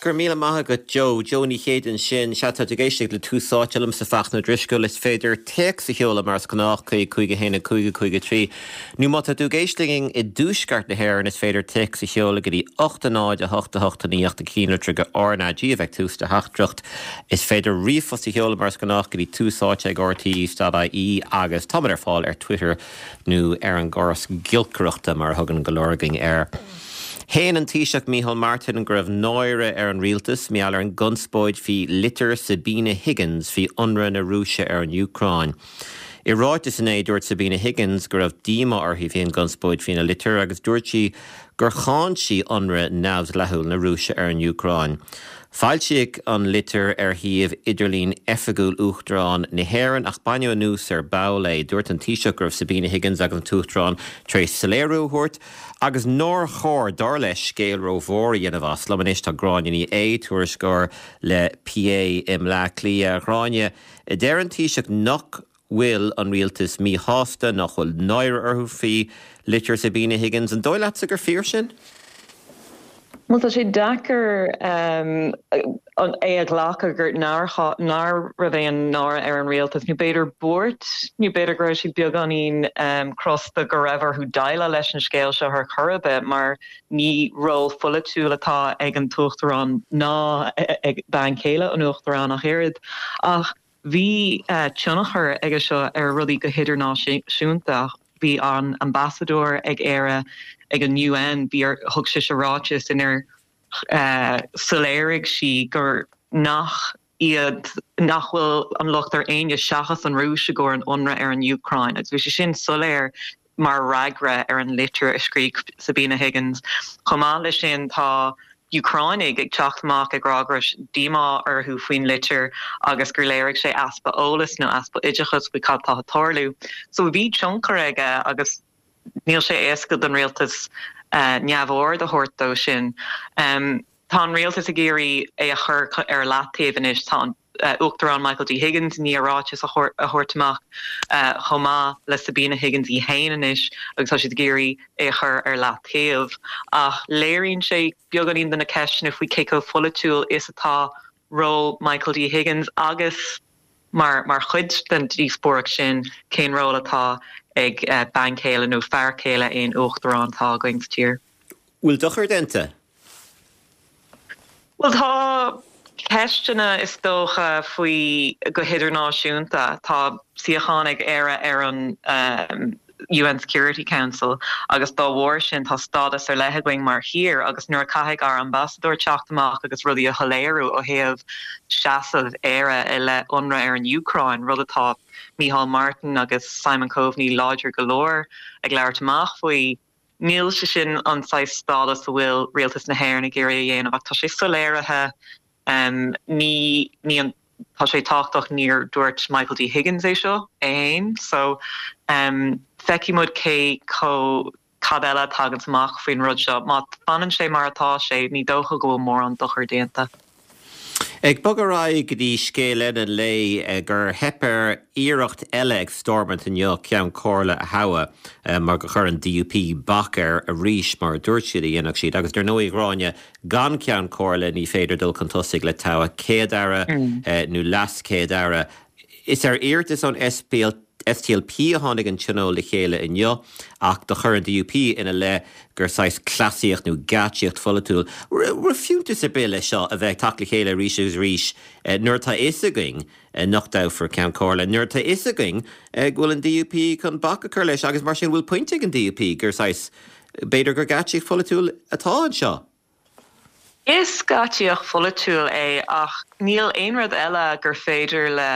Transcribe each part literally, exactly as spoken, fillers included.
Go raibh míle maith agat Joe, Joe Ní Chéide ansin, sea tá tú ag éisteacht le Tús Áite liomsa Fachtna Ó Drisceoil is féidir téacs a sheoladh mar is gnách chuig cúig a haon a cúig a cúig a trí. Nó má tá tú ag éisteacht linn i dtuaisceart na hÉireann is féidir téacs a sheoladh go dtí ocht a náid a hocht a hocht a naoi ocht an ceannlitir R na G a bheith tús do theachtaireacht. Is féidir ríomhphost a sheoladh mar is gnách go dtí tús áite ag RTÉ.ie agus táimid ar fáil ar Twitter nó ar an gcóras giolcaireachta mar a thugann go leor againn air. Shéan an Taoiseach Micheál Martin go raibh náire ar an rialtas mar gheall ar an gconspóid faoi litir Sabina Higgins faoi ionradh na Rúise ar an Úcráin. I ráiteas inné dúirt Sabina Higgins go raibh díomá uirthi faoin gconspóid faoina litir agus dúirt sí gur cháin sí ionradh neamhdhleathach na Rúise ar an Úcráin. Foilsíodh an litir ar shuíomh idirlín oifigiúil Uachtarán na hÉireann ach baineadh anuas ar ball é. Dúirt an Taoiseach go raibh Sabina Higgins agus an tUachtarán tar éis soiléiriú a thabhairt, agus nár chóir dar leis scéal rómhór a dhéanamh as. Liom anois tá Gráinne Ní Aodha tuairisceoir le PA i mBleá Cliath Gráinne. Deir an Taoiseach nach bhfuil an rialtas míshásta nach bhfuil náire orthu faoi litir Sabina Higgins an dóigh leatsa gur fíor sin? Well tá sé deacair um, an é a ghlacadh gur nár nár raibh aon náire ar an rialtas nó b'fhéidir buairt nó b'fhéidir go raibh siad beagáinín um, crosta go raibh orthu déileáil leis an scéal seo ar chor ar bith mar ní ról polaitiúil atá ag an tUachtarán ná ag bean chéile an Uachtaráin ach oiread ach bhí uh, tionchar aige seo ar rudaí go hidirnáisiúnta bhí an ambasadóir ag Éire ag an UN bhí thug sí ráiteas inar uh, soiléirigh sí gur nach iad nach bhfuil an locht ar éinne seachas an Rúis i gcomhair an ionradh ar an Úcráin agus bhí sé sin soiléir mar fhreagra ar an litir a scríobh Sabina Higgins. Chomh maith leis sin tá Úcránaigh ag teacht amach ag rá go raibh díomá orthu faoin litir agus gur léirigh sé easpa eolas nó easpa oideachas faoi cad tá ag tarlú. So bhí tionchar aige agus níl sé éasca don rialtas uh, neamhaird a thabhairt dó sin. Um, tá an rialtas ag iarraidh é a chur ar leataobh anois tá an uh, Uachtarán Michael D. Higgins ní ráiteas a thabhairt amach uh, chomh maith le Sabina Higgins í féin anois agus tá siad ag iarraidh é chur ar leataobh ach léiríonn sé beagáinín de na ceisteanna faoi cé chomh polaitiúil is atá ról Michael D. Higgins agus mar mar chuid den díospóireacht sin cén ról atá ag uh, bean chéile nó fear céile aon uachtarán atá againn sa tír. Bhfuil dochar déanta? Well tá ceisteanna is dócha faoi go hidirnáisiúnta tá suíochán ag Éire ar an um, UN Security Council agus dá bharr sin tá stádas ar leith againn mar thír agus nuair a caithfidh ár ambasadóir teacht amach agus rudaí a shoiléiriú ó thaobh seasamh Éire i leith ionradh ar an Úcráin rud atá Micheál Martin agus Simon Coveney láidir go leor ag labhairt amach faoi. Níl sé sin an saghas stádas a bhfuil rialtas na hÉireann ag iarraidh a dhéanamh ach tá sé soiléirithe um, ní ní an tá sé tábhachtach níor dúirt Michael D. Higgins é seo é féin so um, feicfidh muid cé chomh cad eile tagann amach faoin rud seo má fanann sé mar atá sé ní dócha go bhfuil mórán dochar déanta. Ag bogadh ar aghaidh go dtí scéal eile le gur theip ar iarracht eile ag Stormont inniu ceann comhairle a thoghadh mar gur chuir an DUP bac air arís mar dúirt siad a dhéanfadh siad agus dar ndóigh Gráinne gan ceann comhairle ní féidir dul chun tosaigh le toghadh céad-aire nó leas-chéad-aire. Is ar iarratas ón SPL SDLP a tháinig an tionól le chéile inniu ach do chuir an DUP ina leith gur saghas cleasaíocht nó geáitsíocht pholaitiúil. Raibh fiúntas ar bith le seo a bheith teacht le chéile arís agus arís nuair atá fhios againn nach dtoghfar ceann comhairle, nuair atá fhios againn go bhfuil an DUP chun bac a chur leis agus mar sin bhfuil pointe ag an DUP gur saghas b'fhéidir gur geáitsíocht pholaitiúil atá anseo. Is geáitsíocht pholaitiúil é ach níl aon rud eile gur féidir le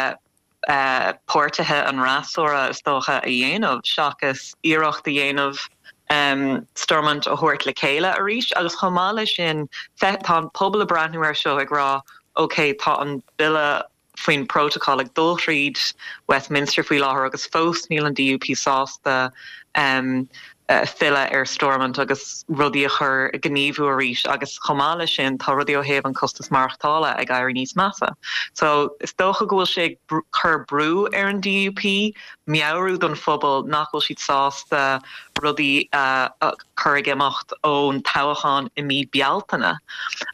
uh, páirtithe an fhreasúra is dócha a dhéanamh seachas iarracht a dhéanamh um, Stormont a thabhairt le chéile arís agus chomh maith leis sin tá an pobal ag breathnú air seo ag rá ok tá an bille faoin protocol ag dul tríd Westminster faoi láthair agus fós níl an DUP sásta um, uh, filleadh ar Stormont agus rudaí a chur gníomhú arís agus chomh maith leis sin tá rudaí ó thaobh an costas maireachtála ag éirí níos measa. So is dócha go bhfuil sé chur brú ar an DUP meabhrú don phobal nach bhfuil siad sásta rudaí uh, chur ag imeacht ón toghchán i mí Bealtaine.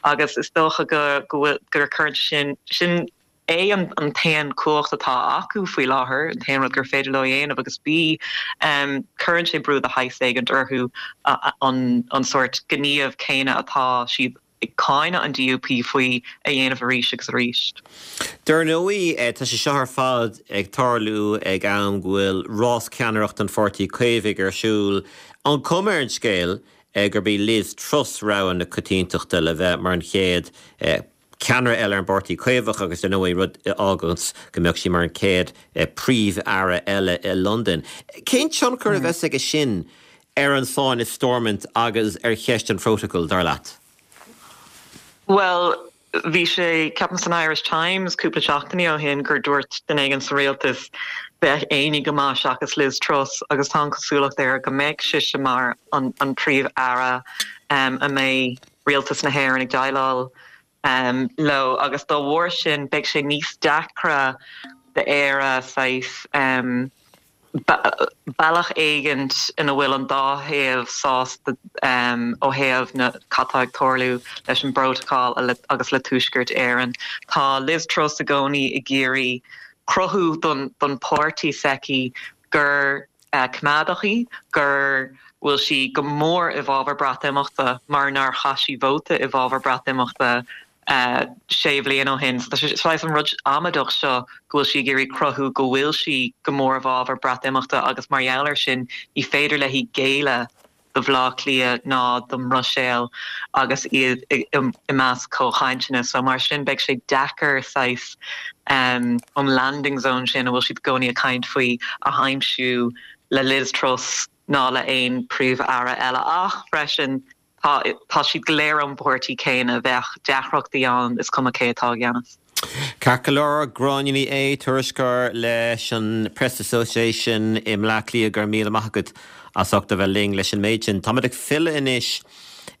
Agus is dócha go go bhfuil gur cuireann sin sin é an an t-aon cumhacht atá acu faoi láthair, an t-aon rud gur féidir leo a dhéanamh agus B um, cuireann sé brú de shaghas éigin orthu an an sórt gníomh céanna atá siad ag cáineadh an D U P faoi a dhéanamh arís agus arís. Dar ndóigh, tá sé seo ar fad ag tarlú ag am go bhfuil rás ceannaireacht an Pháirtí Caomhaigh ar siúl. An cuma ar an scéal gurb í Liz Truss rogha na coitiantachta le bheith mar an chéad ceannaire eile ar an bPáirtí Caomhach agus ar ndóigh rud a fháganns go mbeadh sí mar an chéad Príomh-Aire eile i Londain. Cén tionchar a bheas aige sin ar an sáinn i Stormont agus ar cheist an phrótacail, dar leat? Bhuel, bhí sé, ceapaim san Irish Times cúpla seachtainí ó shin gur dúirt duine éigin sa rialtas bheadh éinne go maith seachas Liz Truss agus tá an chosúlacht air go mbeidh sise mar an an Príomh-Aire um, a mbeidh rialtas na hÉireann ag déileáil um, leo agus dá bharr sin beidh sé níos deacra d'Éire saghas um, bealach éigin ina bhfuil an dá thaobh sásta um, ó thaobh na cad tá ag tarlú leis an bprótacal agus le Tuaisceart Éireann. Tá Liz Truss i gcónaí ag iarraidh cruthú don, don páirtí s'aici gur uh, coimeádach í, gur bhfuil sí go mór i bhfabhar Breatimeachta mar nár chaith sí vóta i bhfabhar Breatimeachta uh, sé bhliain ó shin. So tá sé an rud amaideach seo go bhfuil sí ag iarraidh cruthú go bhfuil sí go mór i bhfabhar Breatimeachta agus mar gheall air sin ní féidir léi géilleadh do Bhaile Átha Cliath ná don mBruiséil agus iad i measc comhchainteanna. So mar sin beidh sé deacair saghas um, an landing zone sin a bhfuil siad i gcónaí ag caint faoi a aimsiú le Liz Truss ná le aon príomh-aire eile ach freisin tá tá siad go léir ón bpáirtí céanna bheadh deacrachtaí ann is cuma cé atá i gceannas. Ceart go leor, Gráinne Ní Aodha, tuairisceoir leis an Press Association i mBleá Cliath, go raibh míle maith agat as ucht a bheith linn leis an méid sin. Táimid ag filleadh anois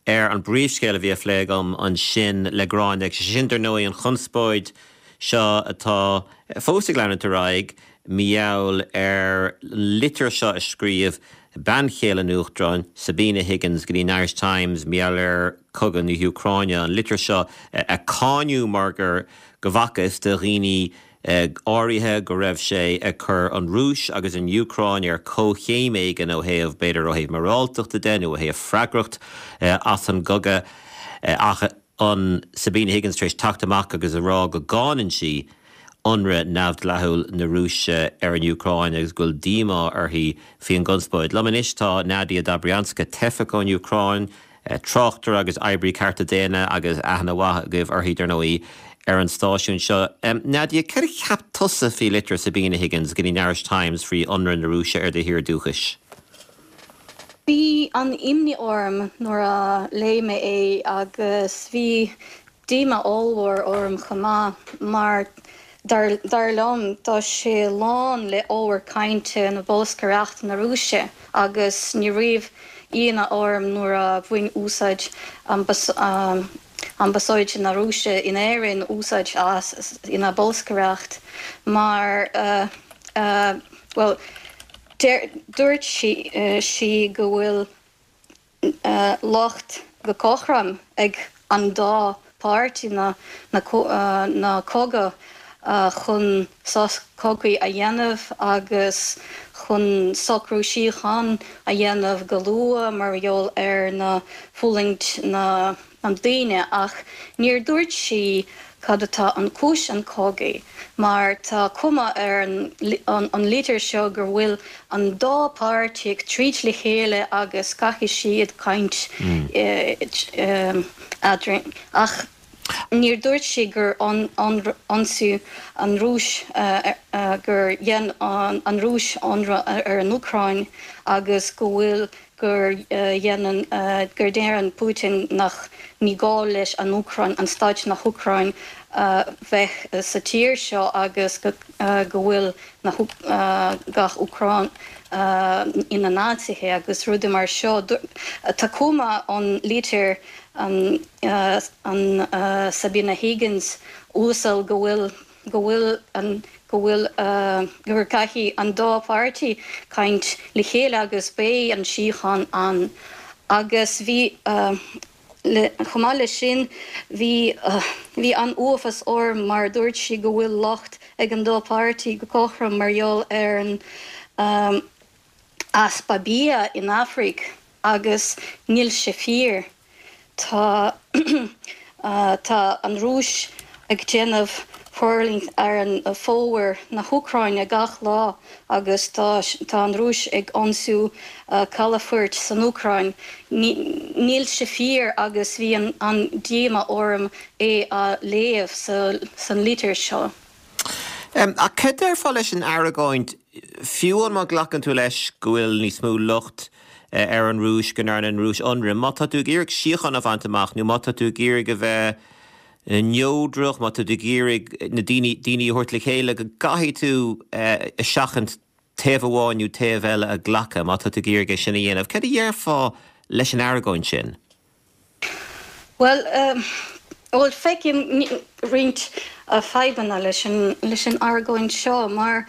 ar an bpríomhscéal a bhí á phlé agam ansin le Gráinne, agus sin dar ndóigh an chonspóid seo atá fós ag leanúint ar aghaidh mar gheall ar an litir seo a scríobh bean chéile an Uachtaráin, Sabina Higgins, go dtí an Irish Times mar gheall ar chogadh na hÚcráine, an litir seo a cáineadh mar gur go bhfacthas do dhaoine áirithe go raibh sé ag cur an Rúis agus an Úcráin ar comhchéim éigin ó thaobh, b'fhéidir ó thaobh moráltachta de nó ó thaobh freagracht as an gcogadh ach an Sabina Higgins tar éis teacht amach agus a rá go gcáineann sí ionradh neamhdhleathúil na Rúise ar an Úcráin agus go bhfuil díomá uirthi faoin gconspóid. Liom anois tá Nadia Dobrianska, teifeach ón Úcráin, tráchtaire agus oibrí cearta daonna agus aithne mhaith agaibh uirthi dar ndóigh ar an stáisiún seo. Nadia, cad a cheap tusa faoi litir Sabina Higgins go dtí an Irish Times faoi ionradh na Rúise ar do thír dúchais? Bhí an imní orm nuair a léigh mé é agus bhí díomá ollmhór orm chomh maith mar dar dar liom tá sé lán le ábhar cainte na bolscaireachta na Rúise agus ní raibh ionadh orm nuair a bhain úsáid ambasáid na Rúise in Éirinn úsáid as ina bolscaireacht mar bhuel dúirt sí go bhfuil locht go cothrom ag an dá páirtí na na cogadh chun sos cogaidh a dhéanamh agus chun socrú síochána a dhéanamh go luath mar gheall ar na fulaingt na an daoine ach níor dúirt sí cad atá an cúis an cogaidh mar tá cuma ar an an litir seo gur bhfuil an dá páirtí ag troid le chéile agus caithfidh siad caint eadrainn ach níor dúirt sí gur ionsaí an Rúis gur dhein an Rúis ionradh ar an Úcráin agus go bhfuil gur dhéanann gur deireann Putin nach ní gá leis an Úcráin an stáit na hÚcráin bheith sa tír seo agus go bhfuil na gach Úcráin ina Naitsithe agus rudaí mar seo. Tá cuma an litir an an Sabina Higgins uasal go bhfuil go bhfuil an go bhfuil gur caithfidh an dá pháirtí caint le chéile agus beidh an síocháin ann agus bhí Chomh maith leis sin, bhí bhí an-uafás orm mar dúirt sí go bhfuil locht ag an dá páirtí go cothrom mar gheall ar an easpa bia in Afraic agus níl sé fíor. Tá tá an Rúis ag déanamh forlíonadh ar an fómhar na hÚcráine gach lá agus tá tá an Rúis ag ionsú calafoirt san Úcráin. Níl sé fíor agus bhí an an díomá orm é a léamh sa san litir seo. Ach cad déarfá leis an argóint fiú má ghlacann tú leis go bhfuil níos mó locht ar an Rúis go ndearna an Rúis ionradh, má tá tú ag iarraidh síocháin a bhaint amach nó má tá tú ag iarraidh a bheith neodrach má tá tú ag iarraidh na daoine daoine a thabhairt le chéile go gcaithfidh tú a seachaint taobh amháin nó taobh eile a ghlacadh má tá tú ag iarraidh é sin a dhéanamh. Cad a déarfá leis an argóint sin? Well um, well feicim roinnt uh, fadhbanna leis an leis an argóint seo mar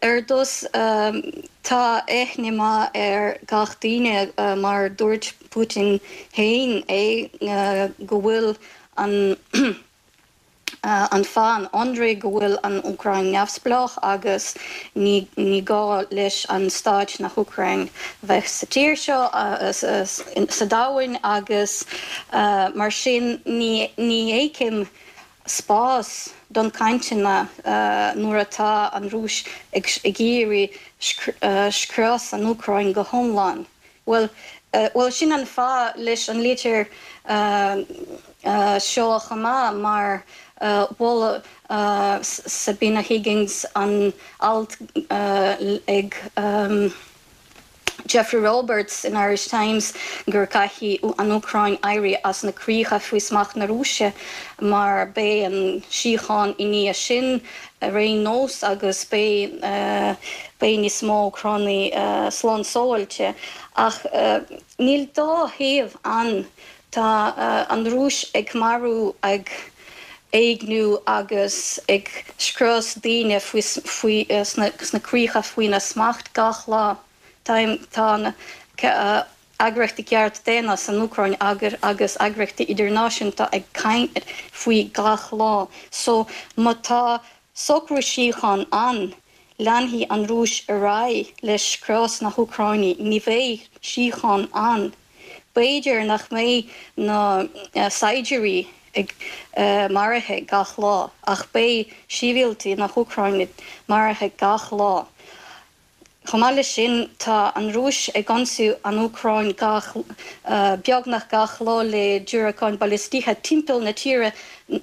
ar dtús um, tá aithne maith ar gach duine uh, mar dúirt Putin féin é uh, go bhfuil an uh, an fáth an go bhfuil an Úcráin neamhspleách agus ní, ní gá leis an stát na hÚcráin bheith sa tír seo uh, sa domhan agus uh, mar sin ní, ní fheicim spás don cainteanna uh, nuair atá an Rúis ag, ag iarraidh uh, scrios an Úcráin go hiomlán. Well, uh, well sin an fáth leis an litir uh, uh, seo chomh maith mar uh, mhol uh, Sabina Higgins an alt uh, ag um, Jeffrey Roberts in Irish Times gur caithfidh an Úcráin éirí as na críocha faoi smacht na Rúise mar beidh an síocháin i ndiaidh sin ar aon nós agus beidh uh, beidh níos mó Úcránaigh uh, slán sábháilte ach uh, níl dá thaobh ann tá uh, an Rúis ag marú ag éigniú agus ag scrios daoine faoi faoi uh, sna, sna críocha faoina smacht gach lá. Tá tá uh, eagraíochtaí cearta daonna san Úcráin agur agus eagraíochtaí idirnáisiúnta ag caint faoi gach lá. So má tá socrú síochána ann, leanfaidh an Rúis ar aghaidh leis scrios na hÚcráine, ní bheidh síocháin ann. B'fhéidir nach mbeidh na uh, saighdiúirí ag uh, maraithe gach lá, ach beidh sibhialtaigh na hÚcráine maraithe gach lá. Chomh maith leis sin tá an Rúis ag ionsaí an Úcráin gach uh, beagnach gach lá le diúracáin ballistacha timpeall na tíre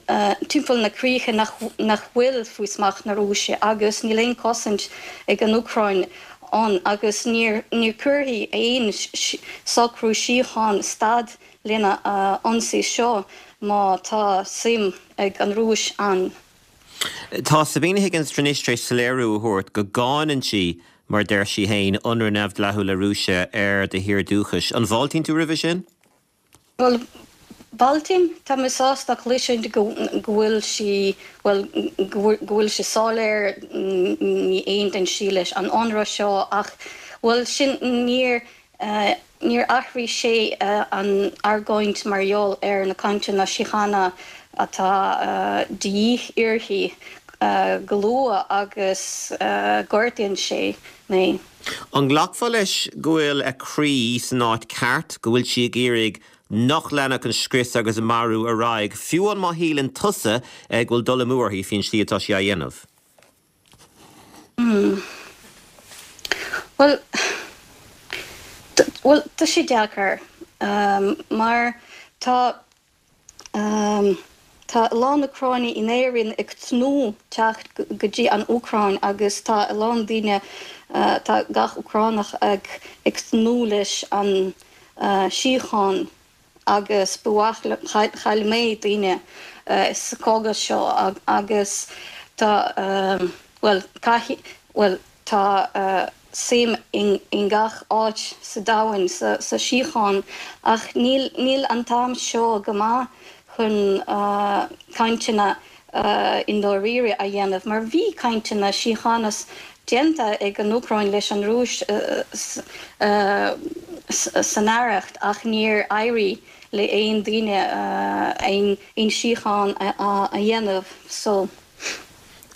uh, timpeall na críche nach, nach bhfuil faoi smacht na Rúise agus níl aon chosaint ag an Úcráin ann agus níor níor chuirfidh aon socrú síochána stad lena uh, ionsaí seo má tá suim ag an Rúis ann. Tá Sabina Higgins anois tar éis soiléiriú a thabhairt go gcáineann sí mar deir sí féin ionradh neamhdhleathach na Rúise ar do thír dúchais. An bhfáiltíonn tú roimhe sin? Well, Fáiltím tá mé sásta cloisint go bhfuil sí well go bhfuil sé soiléir ní aontaíonn sí leis an ionradh seo ach well sin níor uh, níor athraigh sé uh, an argóint mar gheall ar na cainteanna síochána atá uh, de dhíth uirthi uh, go luath agus uh, gortaíonn sé mé. An nglacfá leis go bhfuil a croí san áit ceart go bhfuil sí ag iarraidh nach leanfadh an scrios agus an marú ar aghaidh, fiú an má shíleann tusa go bhfuil dul amú uirthi faoin slí atá sí á dhéanamh. Mm. Well, well tá sé deacair um, mar tá um, Tá a lán Úcránaigh in Éirinn ag tnúth teacht go dtí an Úcráin agus tá a lán daoine uh, tá gach Úcránach ag ag tnúth leis an uh, síocháin agus buach chaill mé daoine uh, sa chogadh seo agus tá um, well caithfidh well tá uh, suim in, in gach áit sa domhan sa, sa síocháin ach níl, níl an t-am seo go maith chun uh, cainteanna uh, i ndáiríre a dhéanamh, mar bhí cainteanna síochána déanta ag an Úcráin leis an Rúis uh, uh, san earrach ach níor éirigh le aon duine aon aon síocháin a dhéanamh so.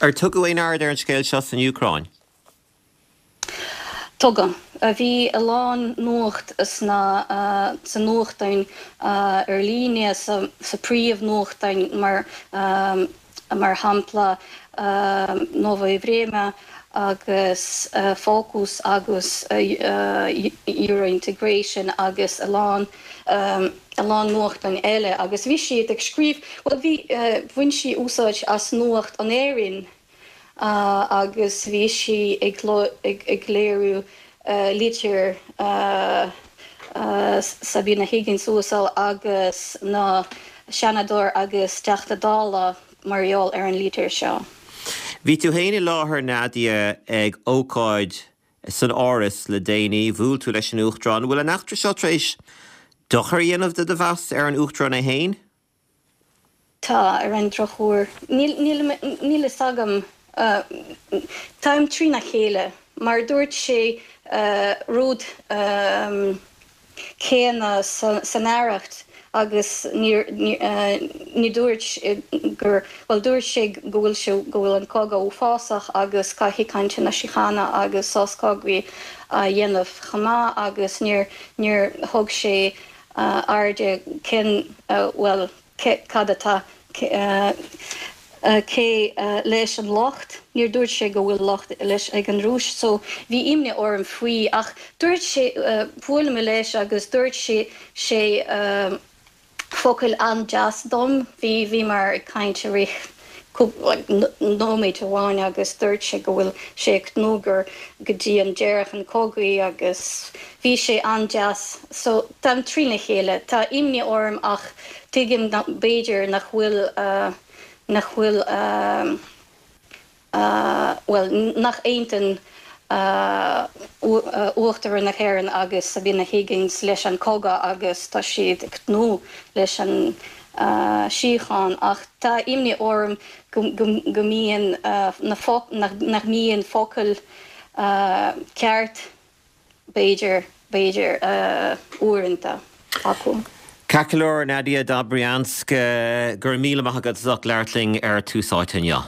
Ar tugadh aon aird ar an scéal seo san Úcráin? Tugadh. Bhí a lán nuacht sna sa nuachtáin ar líne sa sa príomh-nuachtáin mar mar shampla Novoye Vremya agus Fokus agus Eurointegration agus a lán a lán nuachtáin eile agus bhí siad ag scríobh, bhuel bhí bhain sí úsáid as nuacht in Éirinn agus bhí sí ag ag léiriú litir Sabina Higgins uasal agus na Seanadóir agus Teachta Dála mar gheall ar an litir seo. Bhí tú féin i láthair Nadia ag ócáid san Áras le déanaí, bhuail tú leis an Uachtarán. Bhfuil an eachtra seo tar éis dochar a dhéanamh do do mheas ar an Uachtarán é féin? Tá, ar an drochuair. Níl níl fhios agam. Táim trína chéile. Mar dúirt sé rud céanna san Aireacht agus ní dúirt gur bhuel dúirt sé go bhfuil sé go bhfuil an cogadh uafásach agus caithfidh cainteanna síochána agus sos cogaidh a dhéanamh chomh maith agus níor níor thug sé aird cén bhuel cad atá cé leis an locht, níor dúirt sé go bhfuil locht leis ag an Rúis so bhí imní orm faoi ach dúirt sé bhuail mé leis agus dúirt sé sé focail an-deas dom, bhí bhíomar ag caint i rith nóiméad amháin agus dúirt sé go bhfuil sé ag tnúth gur go dtí an deireadh an cogaidh agus bhí sé an-deas so táim trína chéile, tá imní orm ach tuigim b'fhéidir nach bhfuil nach bhfuil bhuel nach aontaíonn Uachtarán na hÉireann agus Sabina Higgins leis an cogadh agus tá siad ag tnúth leis an síocháin ach tá imní orm go mbíonn nach mbíonn focail ceart b'fhéidir b'fhéidir uaireanta acu. Ceart go leor, Nadia Dobrianska, go raibh míle maith agat as ucht labhairt linn ar Tús Áite inniu.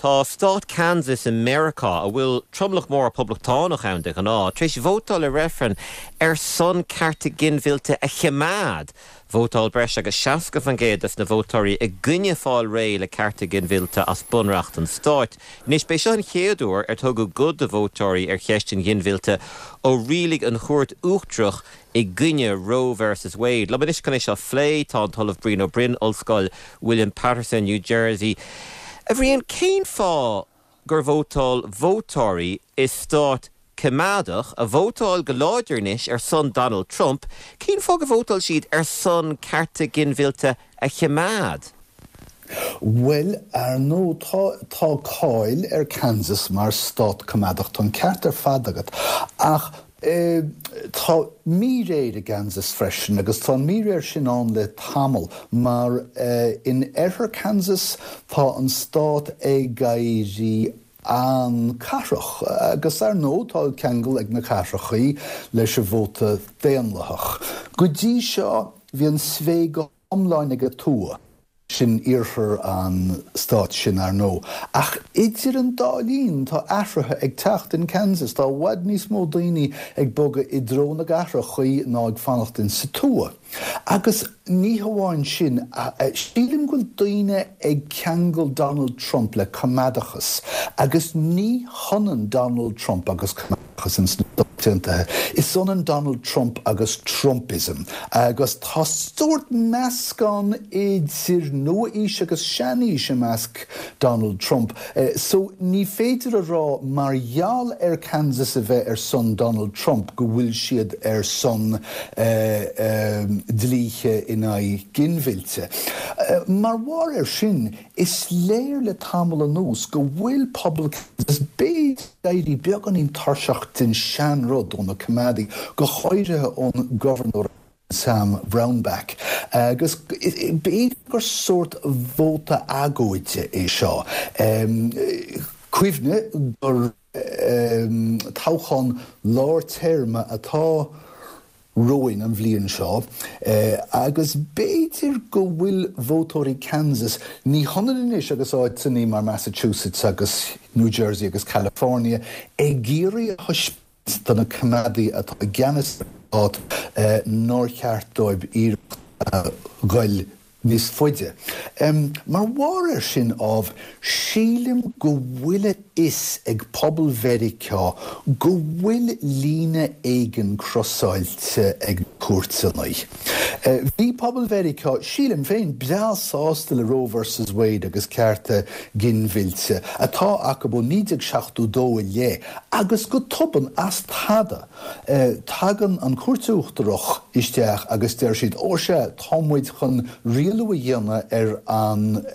Tá stát Kansas i Meiriceá, a bhfuil tromlach mór poblachtánach ann de ghnáth, tar éis vótáil i reifreann ar son cearta ginmhillte a choimeád. Vótáil breis agus seasca faoin gcéad des na vótóirí i gcoinne fáil réidh le cearta ginmhillte as bunreacht an stáit. Anois, b'é seo an chéad uair ar tugadh guth do vótóirí ar cheist an ghinmhillte ó rialaigh an Chúirt Uachtarach i gcoinne Roe versus Wade. Liom anois chun é seo a phlé tá an tOllamh Brian Ó Broin, Ollscoil William Paterson, New Jersey. A Bhriain, cén fáth gur vótáil vótóirí i stát coimeádach, a vótáil go láidir anois ar son Donald Trump, cén fáth gur vótáil siad ar son cearta ginmhillte a choimeád? Bhuel, ar ndóigh, tá, tá cáil ar Kansas mar stát coimeádach, tá an ceart ar fad agat, ach tá míréir i gKansas freisin, agus tá an míréir sin ann le tamall, mar in oirthear Kansas tá an stát ag éirí an-cathrach, agus ar ndóigh tá ceangal ag na cathrachaí leis an vóta daonlathach. Go dtí seo bhí an svae go hiomlán ag an tuath, sin iarthar an stáit sin ar ndóigh. Ach idir an dá linn tá athruithe ag teacht in Kansas, tá i bhfad níos mó daoine ag bogadh i dtreo na gcathrachaí ná ag fanacht in sa tuath. Agus ní hamháin sin, sílim go bhfuil daoine ag ceangal Donald Trump le coimeádachas, agus ní hionann Donald Trump agus coimeádachas ins na Stáit Aontaithe. Is ionann Donald Trump agus Trumpism, agus tá sórt meascán idir nua-aois agus sean-aois i measc Donald Trump. So ní féidir a rá mar gheall ar Kansas a bheith ar son Donald Trump go bhfuil siad ar son dlíthe in aghaidh ginmhillte. Mar bharr air sin, is léir le tamall anuas go bhfuil pobal Kansas b'fhéidir ag éirí beagáinín tuirseach den seanrud ó na coimeádaigh, go háirithe ón gobharnóir Sam Brownback, agus b'fhéidir gur sórt vóta agóide é seo. Cuimhnigh gur toghchán lár téarma atá romhainn an bhliain seo agus b'fhéidir go bhfuil vótóirí Kansas, ní hionann anois agus áiteanna mar Massachusetts agus New Jersey agus California, ag iarraidh a thaispeáint do na coimeádaigh atá i gceannas ar an stát nár cheart dóibh iarracht a ghoil níos faide. Mar bharr air sin, ámh, sílim go bhfuil a fhios ag pobal Mheiriceá go bhfuil líne éigin crosáilte ag na cúirteanna. Bhí pobal Mheiriceá, sílim féin, breá sásta le Roe versus Wade agus cearta ginmhillte atá acu ó naoi déag seachtó dó i leith, agus go tobann, as tada, tagann an Chúirt Uachtarach isteach agus deir siad, 'Ó sea, tá muid chun rialú a dhéanamh ar an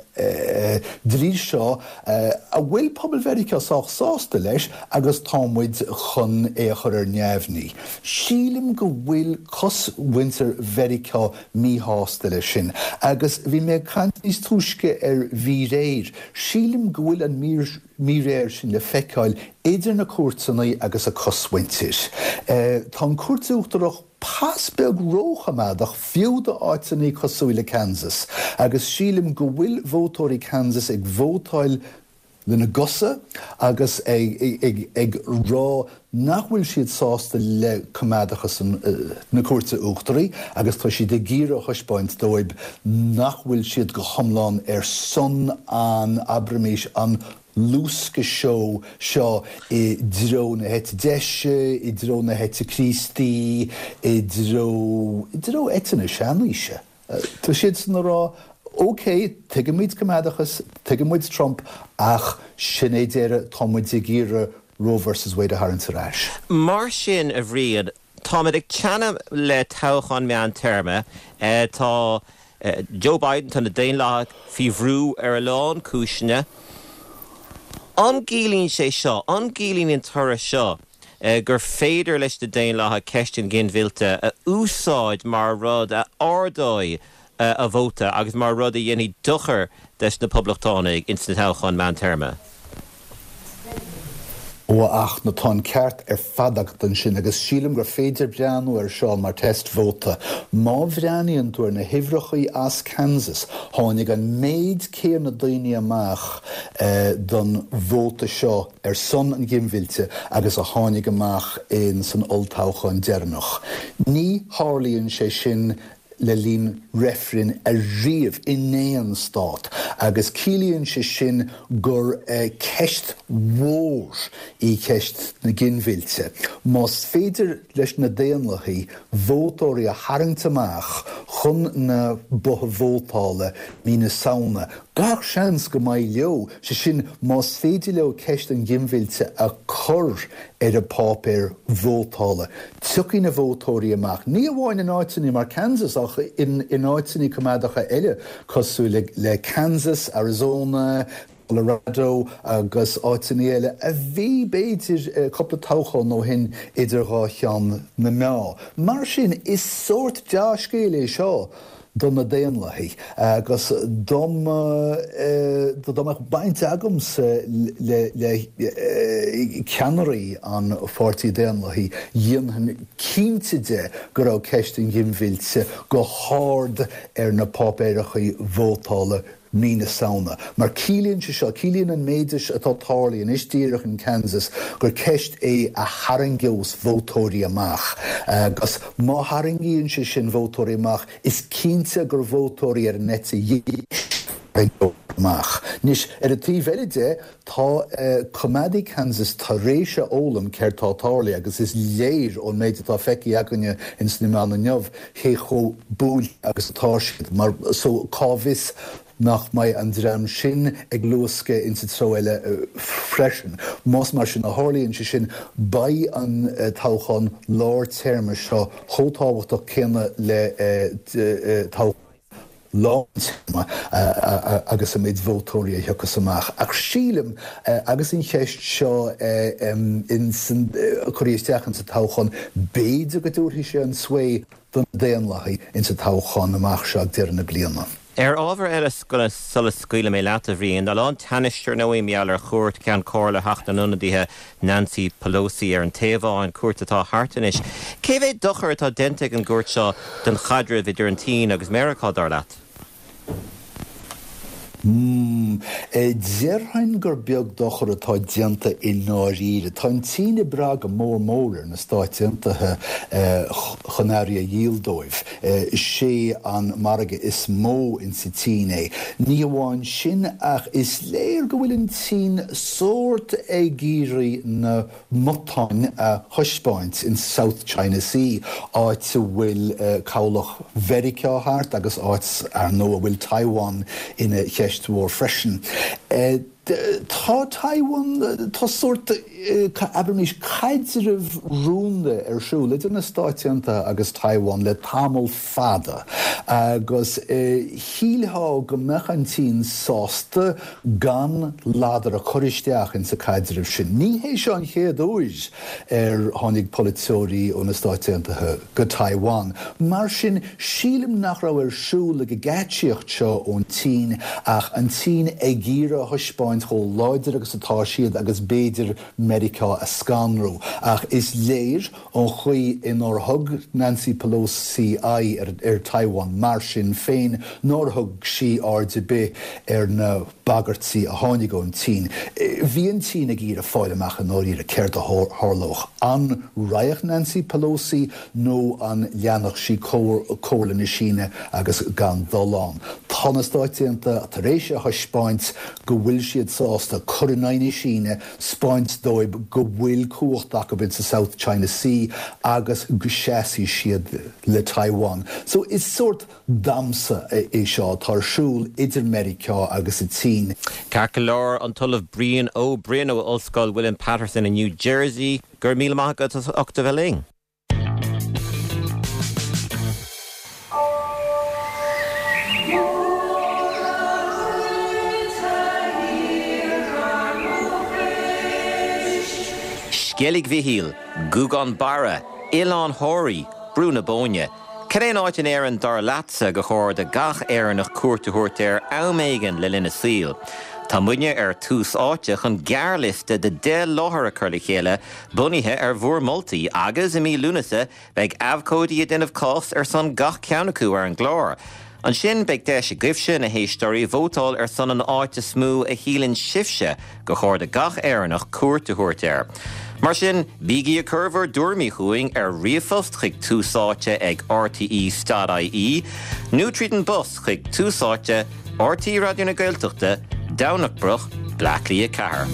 dlí seo a bhfuil pobal Mheiriceá sách sásta leis agus tá muid chun é a chur ar neamhní. Sílim go bhfuil cosmhuintir Mheiriceá míshásta leis sin. Agus bhí mé ag caint níos túisce ar mhíréir. Sílim go bhfuil an míréir sin le feiceáil idir na cúirteanna agus a cosmhuintir. Tá an Chúirt Uachtarach pas beag róchoimeádach fiú d'áiteanna cosúil le Kansas, agus sílim go bhfuil vótóirí Kansas ag vótáil lena gcosa agus ag rá nach bhfuil siad sásta le coimeádachas na Cúirte Uachtaraí agus tá siad ag iarraidh a thaispeáint dóibh nach bhfuil siad go hiomlán ar son an, abraimis, an luascadh seo seo i dtreo na heite deise, i dtreo na heite Críostaí, i dtreo, i dtreo eite na seanaoise. Tá siadsan ag rá, ok, tuigimid coimeádachas, tuigimid Trump, ach sin é deireadh, tá muid ag iarraidh Roe versus Wade a tharraingt ar ais. Mar sin, a Bhriain, táimid ag teannadh le toghchán meántéarma. Tá Joe Biden, tá na Daonlathaigh faoi bhrú ar a lán cúiseanna. An gciallaíonn sé seo, an gciallaíonn an toradh seo gur féidir leis na Daonlathaigh ceist an ghinmhillte a úsáid mar rud a ardóidh a vóta agus mar rud a dhéanfaidh dochar des na Poblachtánaigh ins na toghcháin meántéarma? Ó a Fhachtna, tá an ceart ar fad agat ansin agus sílim gur féidir breathnú air seo mar test vóta. Má bhreathnaíonn tú ar na huimhreachaí as Kansas, tháinig an méid céanna daoine amach don vóta seo ar son an ghinmhillte agus a tháinig amach in san olltoghchán deireanach. Ní tharlaíonn sé sin le linn reifrinn ariamh in aon stát agus ciallaíonn sé sin gur ceist mhór í ceist na ginmhillte. Más féidir leis na Daonlathaigh vótóirí a tharraingt amach chun na botha vótála mí na Samhna, gach seans go mbeidh leo, sé sin más féidir leo ceist an ghinmhillte a chur ar an bpáipéar vótála. Tiocfaidh na vótóirí amach, ní amháin in áiteanna mar Kansas ach in áiteanna coimeádacha eile cosúil le Kansas, Arizona, Colorado agus áiteanna eile a bhí b'fhéidir cúpla toghchán ó shin idir dhá cheann na meá. Mar sin, is sórt dea-scéal é seo do na Daonlathaigh agus dá mbeadh baint agamsa le ceannairí an Pháirtí Daonlathaigh, dhéanfainn cinnte de go raibh ceist an ghinmhillte go hard ar na páipéarachaí vótála mí na Samhna. Mar ciallaíonn sé seo, ciallaíonn an méid atá tarlaithe anois díreach in Kansas gur ceist é a tharraingeos vótóirí amach. Agus má tharraingíonn sé sin vótóirí amach, is cinnte gur vótóirí ar an eite dheis a tharraingeofar amach. Anois, ar an taobh eile de, tá coimeádaigh Kansas tar éis a fhoghlaim céard tá tarlaithe agus is léir ón méid atá feicthe againne ins na meáin inniu cé chomh buailte agus atá siad. Mar so cá bhfios nach mbeidh an dream sin ag luascadh insa treo eile freisin. Más mar sin a tharlaíonn sé sin, beidh an toghchán lár téarma seo chomh tábhachtach céanna le toghchán lán téarma agus an méid vótóirí a thiocfas amach. Ach sílim, agus an cheist seo curtha isteach insa toghchán, b'fhéidir go dtabharfaidh sé an sway do na Daonlathaigh insa toghchán amach seo ag deireadh na bliana. Ar ábhar eile sula scaoilfidh mé leat a Bhriain, tá a lán teannais ar ndóigh mar gheall ar chuairt Ceann Comhairle Theach na nIonadaithe Nancy Pelosi ar an Téaváin, cuairt atá thart anois. Cé mhéad dochar atá déanta ag an gcuairt seo don chaidreamh idir an tSín agus Meiriceá dar leat? Mm, Déarfainn gur beag dochar atá déanta i ndáiríre. Tá an tSín ag brath go mór mór ar na Stáit Aontaithe chun earraí a dhíol dóibh. Is é an margadh is mó insa tSín é. Ní amháin sin ach is léir go bhfuil an tSín sórt ag iarraidh na matáin a thaispeáint in South China Sea, áit a bhfuil cabhlach Mheiriceá thart agus áit ar ndóigh a bhfuil Taiwan ina cheist mhór freisin. Tá Taiwan tá sórt abraimis caidreamh rúnda ar siúl idir na Stáit Aontaithe agus Taiwan le tamall fada agus shílfeá go mbeadh an tSín sásta gan ladar a chur isteach insa chaidreamh sin. Ní hé seo an chéad uair ar tháinig polaiteoirí ó na Stáit Aontaithe go Taiwan. Mar sin sílim nach raibh ar siúl ag an gceaitsíocht seo ón tSín ach an tSín ag iarraidh a thaispeáint chomh láidir agus atá siad agus b'fhéidir Meiriceá a scanrú. Ach is léir ón chaoi inar thug Nancy Pelosi aghaidh ar, ar Taiwan mar sin féin nár thug sí aird ar bith ar na bagairtí a tháinig ón tSín. Bhí an tSín ag iarraidh fáil amach i ndáiríre céard a tharlódh an raghadh Nancy Pelosi nó an leanfadh sí comhairle na Síne agus gan dul ann. Tá na Stáit Aontaithe tar éis a thaispeáint go bhfuil siad sásta cur in aghaidh na Síne 'speáint dóibh go bhfuil cumhacht acu in sa South China Sea agus go seasfaidh siad le Taiwan. So is sórt damhsa é seo atá ar siúl idir Meiriceá agus an tSín. Ceart go leor an tOllamh Brian Ó Broin ó Ollscoil William Paterson in New Jersey, gur míle maith agat as ucht a bheith linn. Sceilg Mhichíl, Gougane Barra, Oileán Thoraí, Brú na Bóinne. Cad é an áit in Éirinn dar leatsa gur chóir do gach Éireannach cuairt a thabhairt air am éigin le linn a saoil? Tá muidne ar Tús Áite chun gearrliosta de deich láthair a chur le chéile bunaithe ar bhur moltaí agus i mí Lúnasa beidh abhcóidí ag déanamh cás ar son gach ceann acu ar an gclár. Ansin beidh deis agaibhse na héisteoirí vótáil ar son an áit is mó a shíleann sibhse gur chóir do gach Éireannach cuairt a thabhairt air. Mar sin, bígí ag cur bhur dtuairimí chugainn ar ríomhphost chuig Tús Áite ag rte dot ie nó tríd an bpost chuig Tús Áite, RTÉ Raidió na Gaeltachta, Domhnach Broc, Bleá Cliath a ceathair.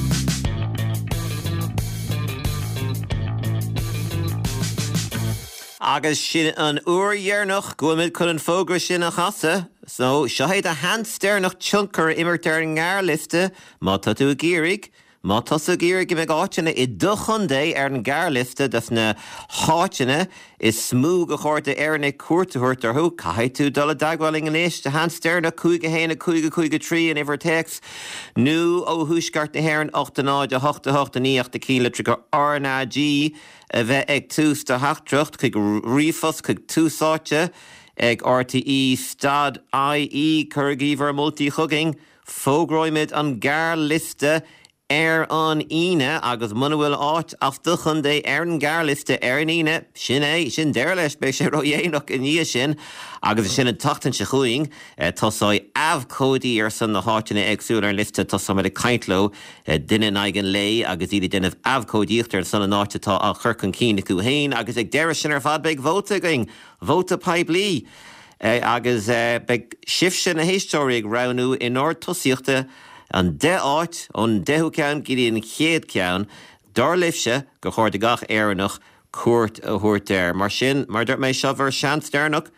Agus sin an uair dheireanach go bhfuil muid chun an fógra sin a chasadh, so seo é do sheans deireanach tionchar a imirt ar an ngearrliosta má tá tú ag iarraidh. Má tá tú ag iarraidh go mbeidh áiteanna i do chontae ar an ngearrliosta dos na háiteanna is mó gur chóir d'Éireannaigh cuairt a thabhairt orthu, caithfidh tú dul i dteagmháil linn anois, do sheans deireanach, cúig a haon a cúig a cúig a trí an uimhir téacs, nó ó thuaisceart na hÉireann, ocht a náid a hocht a hocht a naoi ach na ceannlitreacha RnaG a bheith ag tús do theachtaireacht chuig ríomhphost chuig Tús Áite ag rte dot ie. Cuirigí bhur moltaí chugainn. Fógróimid an gearrliosta ar an Aoine agus muna bhfuil áit as do chontae ar an ngearrliosta ar an Aoine, sin é, sin deireadh leis, beidh sé ródhéanach i ndiaidh sin agus ansin an tseachtain seo chugainn tosóidh abhcóidí ar son na háiteanna éagsúla ar an liosta, tosóimid ag caint leo duine in aghaidh an lae agus iad ag déanamh abhcóidíocht ar son an áit atá á chur chun cinn acu féin agus ag deireadh sin ar fad beidh vóta againn, vóta poiblí. Agus beidh sibhse na héisteoirí ag roghnú in ord tosaíochta an deich áit, ón deichiú ceann go dtí an chéad ceann, dar libhse gur chóir do gach Éireannach cuairt a thabhairt air. Mar sin, mar a dúirt mé, seo bhur seans deireanach.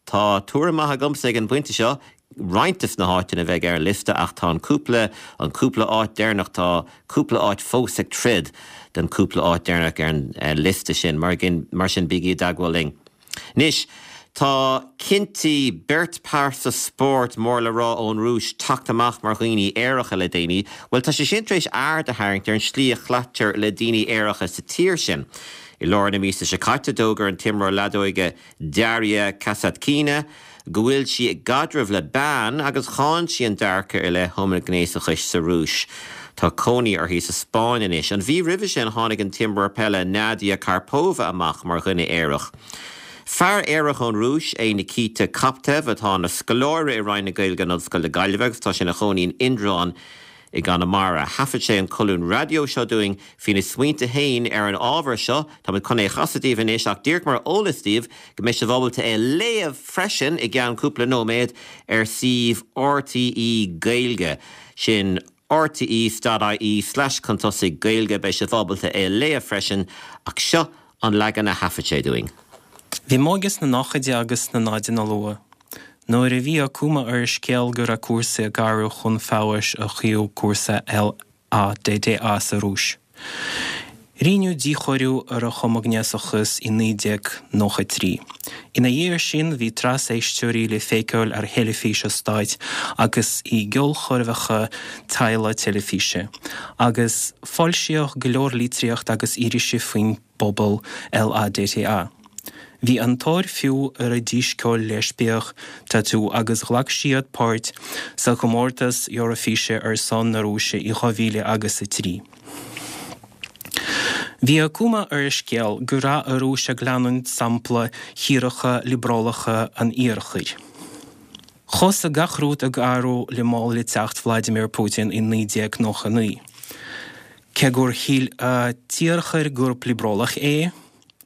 Tá tuairim maith agamsa ag an bpointe seo, roinnt des na háiteanna a bheidh ar an liosta ach tá an cúpla, an cúpla áit deireanach, tá cúpla áit fós ag troid don cúpla áit deireanach ar an liosta sin. Mar, mar sin bígí i dteagmháil linn. Anois, tá cinntí beirt pearsa spóirt mór le rá ón Rúis teacht amach mar dhaoine aeracha le déanaí. Bhuel, tá sé sin tar éis aird a tharraingt ar an slí a chleitear le daoine aeracha sa tír sin. I lár na míosa seo caite d'fhógair an t-imreoir leadóige Daria Kasatkina go bhfuil sí i gcaidreamh le bean agus cháin sí an dearcadh i leith homaighnéasachais sa Rúis. Tá cónaí uirthi sa Spáinn anois. An mhí roimhe sin tháinig an t-imreoir peile Nadia Karpova amach mar dhuine aerach. Fear aerach ón Rúis é Nikita Koptev atá ina scoláire i Roinn na Gaeilge in Ollscoil na Gaillimhe agus tá sé ina chónaí in Indreabhán i gConamara. Thaifead sé an colún raidió seo dúinn faoina smaointe féin ar an ábhar seo, Tá chun é a chasadh daoibh anois ach díreach mar eolas daoibh go mbeidh sibh ábalta é a léamh freisin i gceann cúpla nóiméad ar suíomh RTÉ Gaeilge sin rte.ie slash chun tosaigh Gaeilge beidh sibh ábalta é a léamh freisin ach seo an leagan a thaifead sé dúinn. Bhí m'óige sna nóchaidí agus sna náideanna luath. Nuair a bhí an cuma ar an scéal go raibh cúrsaí ag athrú chun feabhais ó thaobh cúrsaí LADTA sa Rúis. Rinneadh díchóiriú ar an homaighnéasachas i naoi déag nócha trí. Ina dhiaidh sin bhí trasfheisteoirí le feiceáil ar theilifís an stáit agus i gceolchoirmeacha teaghlaigh teilifíse, agus foilsíodh go leor litríocht agus irisí faoin bpobal LADTA. Bhí an-tóir fiú ar a dísceoil leispiach Tatú agus ghlac siad páirt sa chomórtas Eoraifíse ar son na Rúise i dhá mhíle agus a trí. Bhí an cuma ar an scéal go raibh an Rúis ag leanúint sampla thíortha liobrálacha an Iarthair. Thosaigh gach rud ag athrú le mall le teacht Vladimir Putin i naoi déag nócha naoi. Cé gur shíl an tIarthar gurb liobrálach é,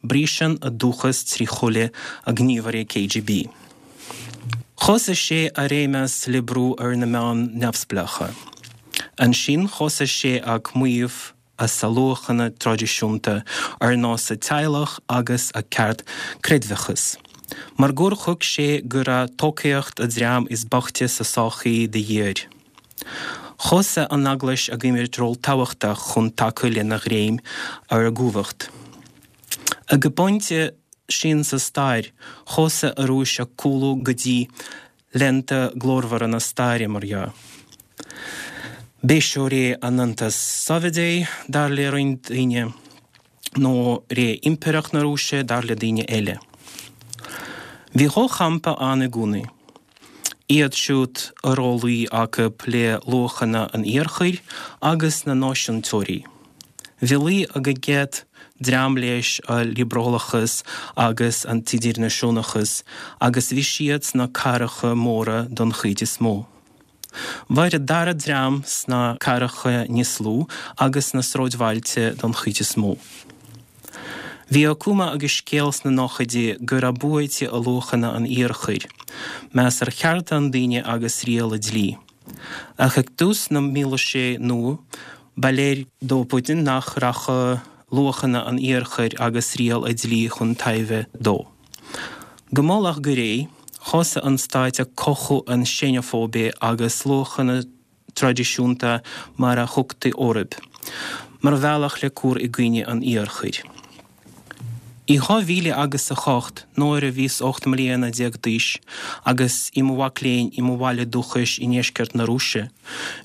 Briseann a dúchas trí shúile a ghníomhairí KGB. Thosaigh sé a réimeas le brú ar na meáin neamhspleácha. Ansin thosaigh sé ag maíomh as a luachanna traidisiúnta ar nós a teaghlach agus a ceart creidmheachas. Mar gur thuig sé go raibh tacaíocht a dream is boichte sa sochaí de dhíth air. Thosaigh an Eaglais ag imirt ról tábhachtach chun tacú lena ghreim ar an gcumhacht. Ag an bpointe sin sa stair, thosaigh an Rúis ag cúlú go dtí laethanta glórmhara na staire, mar dhea. B'é seo ré an Aontais Sóivéadaigh, dar le roinnt daoine, nó ré Impireacht na Rúise, dar le daoine eile. Bhí dhá champa ann i gcónaí. Iad siúd a raibh luí acu le luachanna an Iarthair agus na náisiúntóirí. Bhí luí ag an gcéad dream leis an liobrálachas agus an t-idirnáisiúnachas agus bhí siad sna cathracha móra don chuid is mó. Mhair an dara dream sna cathracha níos lú agus sna sráidbhailte don chuid is mó. Bhí an cuma ag an scéal sna nóchaidí go raibh buaite ag luachanna an Iarthair, meas ar chearta an duine agus riail an dlí. Ach ag tús na mílaoise nua, Ba léir do Putin nach rachadh luachanna an Iarthair agus riail an dlí chun tairbhe dó. Go mall ach go réidh, thosaigh an stát ag cothú an seineafóibe agus luachanna traidisiúnta mar a thugtaí orthu, mar bhealach le cur i gcoinne an Iarthair. I dhá mhíle agus a hocht, nuair a bhíos ocht mbliana déag d'aois agus i mo mhac léinn i mo bhaile dúchais i ndeisceart na Rúise,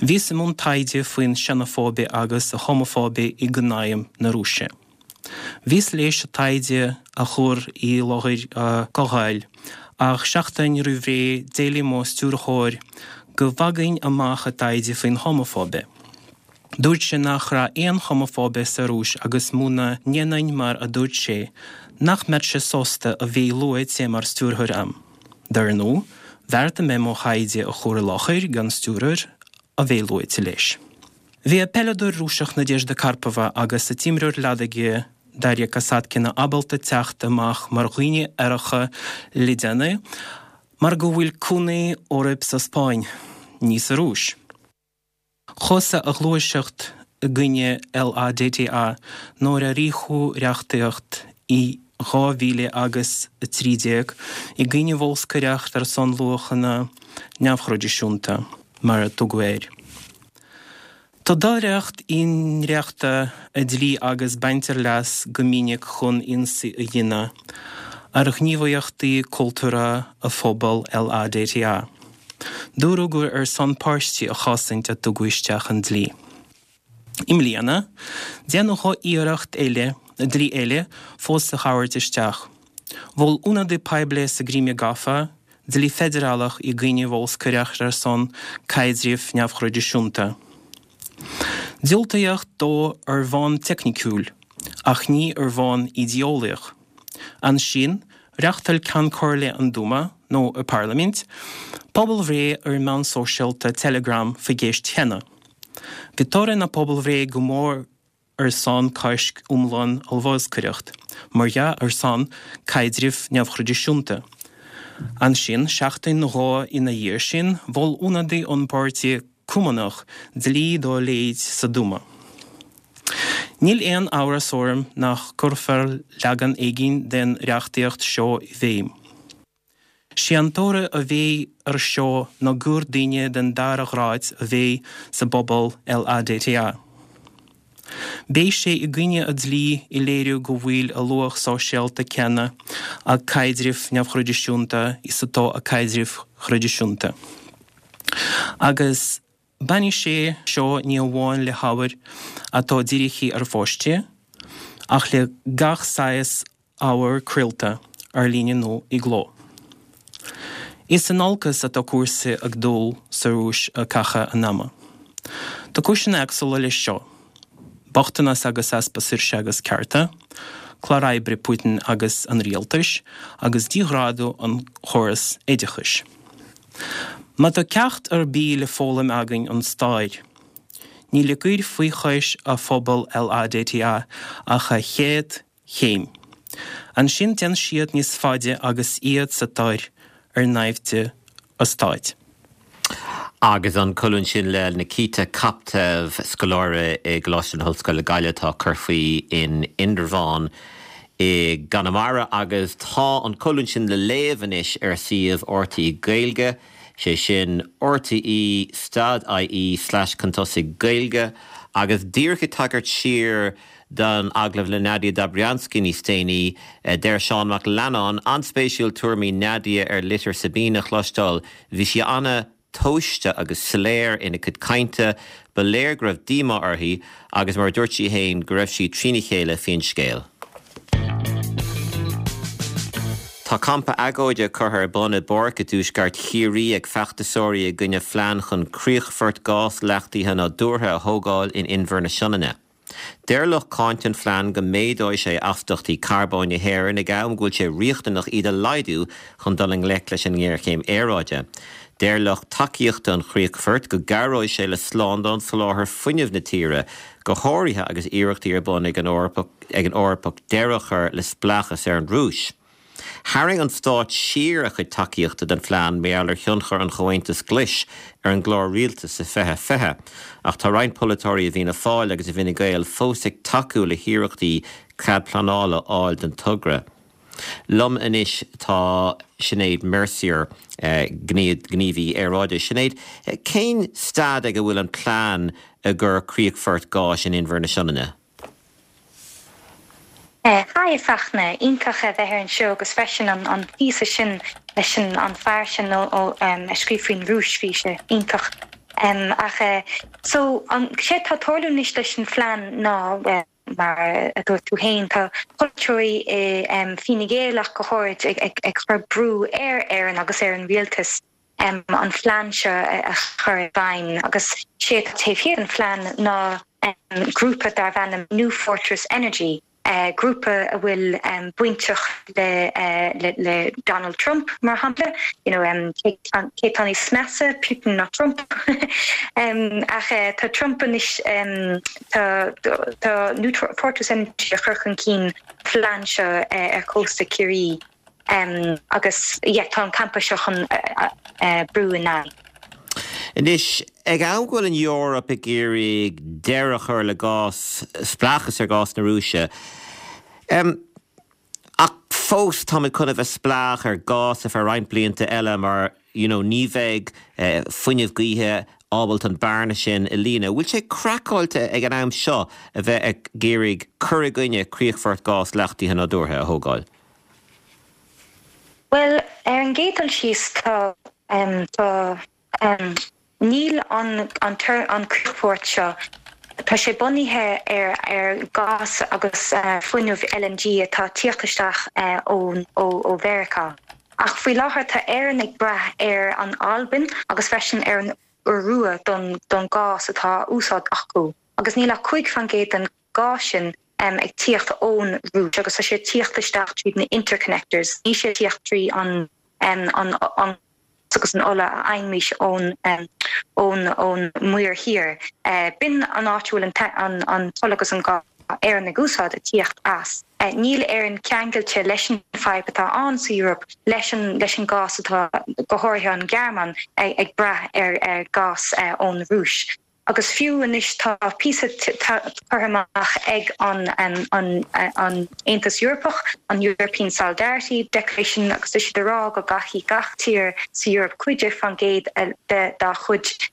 bhíos i mbun taighde faoin seineafóibe agus a homafóibe i gcónaidhm na Rúise. Bhíos léis an taighde a chur i láthair comhdháil, ach seachtain roimh ré d'éiligh mo stiúrthóir go bhfágfainn amach an taighde faoin homafóibe. Dúirt sé nach raibh aon homafóibe sa Rúis agus muna ndéanfainn mar a dúirt sé, nach mbeadh sé sásta a bheith luaite mar stiúrthóir a'm. Dar ndóigh, bheartaigh mé mo thaighde a chur i láthair gan stiúrthóir a bheith luaite leis. Bhí an peileadóir Rúiseach Nadezhda Karpova agus an t-imreoir leadóige Daria Kasatkina ábalta teacht amach mar dhaoine aeracha le déanaí mar go bhfuil cónaí orthu sa Spáinn, ní sa Rúis. Thosaigh an ghluaiseacht i gcoinne LADTA nuair a ritheadh reachtaíocht i dhá mhíle agus a trí déag i gcoinne bholscaireacht ar son luachanna neamhthraidisiúnta, mar a tugadh air. Tá doiléireacht i ndréachtadh an dlí agus baintear leas go minic chun ionsaí a dhéanamh ar ghníomhaíochtaí cultúrtha an phobail LADTA. Dúradh gur ar son páistí a chosaint a tugadh isteach an dlí. I mbliana, déanadh dhá iarracht eile dlí eile fós le thabhairt isteach. Mhol ionadaí poiblí sa gCrimé gafa dlí feidearálach i gcoinne bholscaireacht ar son caidrimh neamhthraidisiúnta. Diúltaíodh dó ar bhonn teicniciúil, ach ní ar bhonn idé-eolaíoch. Ansin, reáchtáil Ceann Comhairle an Dúma, nó a parlaimint, pobalbhreith ar an meán sóisialta Telegram faoin gceist chéanna. Bhí toradh na pobalbhreithe go mór ar son coisc iomlán ar bholscaireacht, mar dhea ar son caidrimh neamhthraidisiúnta. Ansin, seachtain nó dhó ina dhiaidh sin, mhol ionadaí ón bPáirtí Cumannach dlí dá leithéid sa Dúma. Níl aon amhras orm nach gcuirfear leagan éigin den reachtaíocht seo i bhfeidhm. Sé an toradh a bheidh ar seo ná gur daoine den dara grád a bheidh sa bpobal LADTA. Beidh sé i gcoinne an dlí ag léiriú go bhfuil an luach sóisialta céanna ag caidrimh neamhthraidisiúnta is atá ag caidrimh thraidisiúnta. Agus bainfidh sé seo ní amháin le hábhar atá dírithe ar pháistí, ach le gach saghas ábhar craolta, ar líne nó i gcló. Is in olcas atá cúrsaí ag dul sa Rúis i gcaitheamh an ama. Tá cúiseanna éagsúla leis seo, bochtanas agus easpa saoirse agus cearta, clár oibre Putin agus an rialtais, agus díghrádú an chóras oideachais. Má tá ceacht ar bith le foghlaim againn ón stair, níl i gcur faoi chois a phobal LADTA ach a chéad chéim. Ansin téann siad níos faide agus iad sa tóir ar naimhde an stáit. Agus an colún sin le Nikita Koptev, scoláire i gColáiste na hOllscoile Gaillimh atá ag cur faoi in Indreabhán i gConamara agus tá an colún sin le léamh anois ar suíomh RTÉ Gaeilge, sé sin rte stad ie slash chun tosaigh Gaeilge agus díreach ag tagairt siar don agallamh le Nadia Dobriansky níos déanaí, deir Seán Mac Leannáin, an-spéisiúil tuairimí Nadia ar litir Sabine a chloisteáil, bhí sí an-tomhaiste agus soiléir ina cuid cainte, ba léir go raibh díomá uirthi agus mar a dúirt sí féin go raibh sí trína chéile faoin scéal. Tá campa agóide curtha ar bun i bpáirc i dtuaisceart Chiarraí ag feachtasóirí i gcoinne phlean chun críochfort gás leachtaithe nádúrtha a thógáil in Inbhear na Sionainne. Deir lucht cáinte an phlean go méadóidh sé astaíochtaí carbóin na hÉireann ag am go bhfuil sé riachtanach iad a laghdú chun dul i ngleic leis an ngéarchéim aeráide. Deir lucht tacaíochta an chríochfoirt go gcabhróidh sé le slándáil soláthar fuinnimh na tíre, go háirithe agus iarrachtaí ar bun ag an Eoraip deireadh a chur le spleáchas ar an Rúis. Tharraing an stát siar a chuid tacaíochta don phlean mar gheall ar thionchar an Chomhaontais Ghlais ar an gclár rialtais i fiche fiche, ach tá roinnt polaiteoirí i bhFianna Fáil agus i bhFine Gael fós ag tacú le hiarrachtaí cead pleanála a fháil don togra. Liom anois tá Sinéad Mercier, gníomhaí aeráide. Sinéad, cén staid ag a bhfuil an plean i gcomhair críochfort gáis in Inbhear na Sionainne? Hi a Fachtna, iontach a bheith ar an seó agus freisin an an píosa sin leis an an fear sin ó ó a scríobh faoin Rúis bhí sé iontach. Um, ach uh, so an sé tá tarlú anois leis an phlean ná uh, mar a dúirt tú féin tá polaiteoirí i um, Fine Gael ach go háirid ag, ag, ag cur brú ar Éirinn agus ar an rialtas um, an phlean seo a chur i bhfeidhm agus sé taobh thiar an phlean ná um, grúpa darb ainm New Fortress Energy Uh, grúpa a bhfuil um, bainteach le, uh, le, le Donald Trump mar shampla you know, um, cé tá níos measa Putin ná Trump um, ach uh, tá Trump anois um, tá, tá New Fortress Energy a chur chun cinn plean seo uh, ar chósta Chiarraí um, agus yeah, tá an campa seo chun uh, uh, brú in aghaidh. Anois ag am go bhfuil an Eoraip ag iarraidh deireadh a chur le gás spleáchas ar gás na Rúise. Um, ach fós táimid chun a bheith spleách ar gás ar feadh roinnt blianta eile mar you know, ní bheidh uh, fuinneamh gaoithe ábalta an bearna sin a líonadh. Bhfuil sé craiceáilte ag an am seo a bheith ag iarraidh cur i gcoinne críochfort gás leachtaithe nádúrtha a thógáil? Well ar an gcéad dul síos tá um, tá um, níl an an, an, an críochfort seo Tá sé bunaithe ar ar gás agus uh, fuinneamh L N G atá tíocht isteach uh, ó ó ó Mheiriceá. Ach faoi láthair tá Éire ag brath ar an Albain agus freisin ar an Iorua don don gás atá úsáid acu. Agus níl ach cúig faoin gcéad den gás sin um, ag tíocht ón Rúis agus tá sé tíocht isteach trí na interconnectors. Ní sé tíocht trí an um, an, an agus an ola a fhaighimid ón um, ón ón Muir Thiar. Uh, B'in an áit an an an ola agus an gás Éire ag úsáid a tíocht as. Uh, níl Éire ceangailte leis an fhadhb atá ann sa Europe leis an leis an gás atá go háirithe an Ghearmáin ag, ag brath ar, ar gás uh, ón Rúis. Agus fiú anois tá píosa curtha amach ag an an an an Aontas Eorpach, an European Solidarity Declaration, agus is siad rá go gcaithfidh gach tír sa Europe cúig déag faoin gcéad dá chuid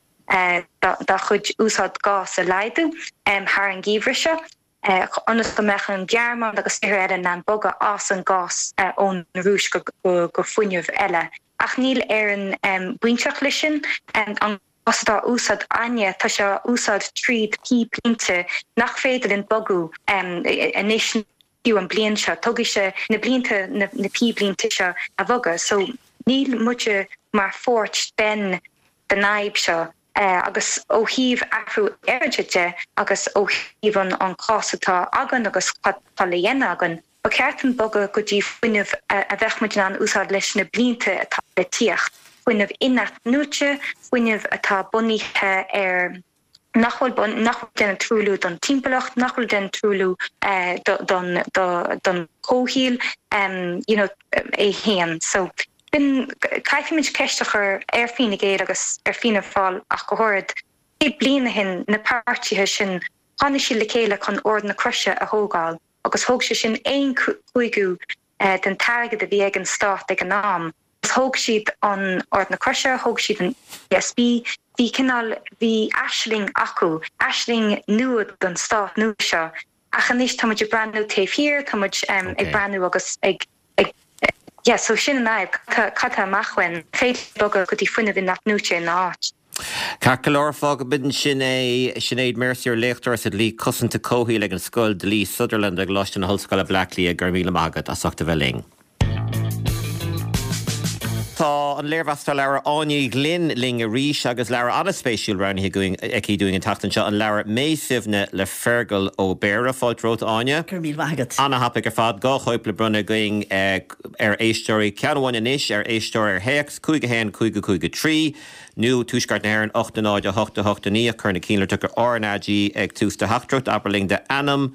dá chuid úsáid gás a laghdú um, thar an geimhreadh seo. Ionas go mbeadh an Ghearmáin agus tíortha eile in ann bogadh as an gás uh, ón Rúis go, go, go fuinneamh eile. Ach níl Éire um, bainteach leis sin um, an gás atá úsáid againne, tá sé úsáid tríd píblínte nach féidir linn bogadh um, anois an bliain seo, tógfaidh sé na blianta na, na píblínte seo a bhogadh, so níl muide mar pháirt den den fhadhb seo. Uh, agus ó thaobh athrú aeráide de agus ó thaobh an an cás atá againn agus tá le dhéanamh againn. Ba cheart an bogadh go dtí fuinneamh a bheadh muid in ann úsáid leis na blianta atá le tíocht. Fuinneamh in-athnuaite, fuinneamh atá bunaithe ar nach bhfuil nach bhfuil déanamh truailliú don timpeallacht, nach bhfuil déanamh truailliú uh, don, don, don chomhshaol um, you know, é féin. So b'in caithfimid ceist a chur ar Fine Gael agus ar Fianna Fáil ach go háirithe. Céad bliain ó shin na páirtithe sin tháinig siad le chéile chun Ord na Croise a thógáil, agus thóg sé sin aon chúigiú uh, den t-airgead a bhí ag an stát ag an am. Thóg siad an Ord na Croise, thóg siad an E S B, bhí cineál bhí aisling acu, aisling nua don stát nua seo. Ach anois tá ag breathnú taobh thiar, tá um, ag breathnú agus ag ag yeah, so sin an fhadhb cad amach when féidir bogadh go dtí fuinneamh in-athnuaite in áit. Ceart go leor, fágfaimid sin é. Sinéad Mercier, léachtóir sa dlí cosanta comhshaoil ag an Scoil Dlí Sutherland ag Coláiste na hOllscoile Bleá Cliath, go raibh míle maith agat as ucht a bheith linn. Tá an léirmheastóir leabhar Áine Ní Ghlinn linn arís agus leabhar an-spéisiúil roghnaithe aici dúinn an tseachtain seo, an leabhar Mé Suibhne le Fergal Ó Béarra. Fáilte romhat, Áine. Gur mí agat. An-thapaidh ar fad. Dhá chóip le bronnadh againn ar éisteoirí, ceann amháin anois ar éisteoir ar théacs cúig a haon cúig cúig trí nó Tuaisceart na hÉireann ocht náid a hocht a hocht naoi, cuir na cinnlitreacha R N A G ag tús do theachtaireacht, abair linn d'ainm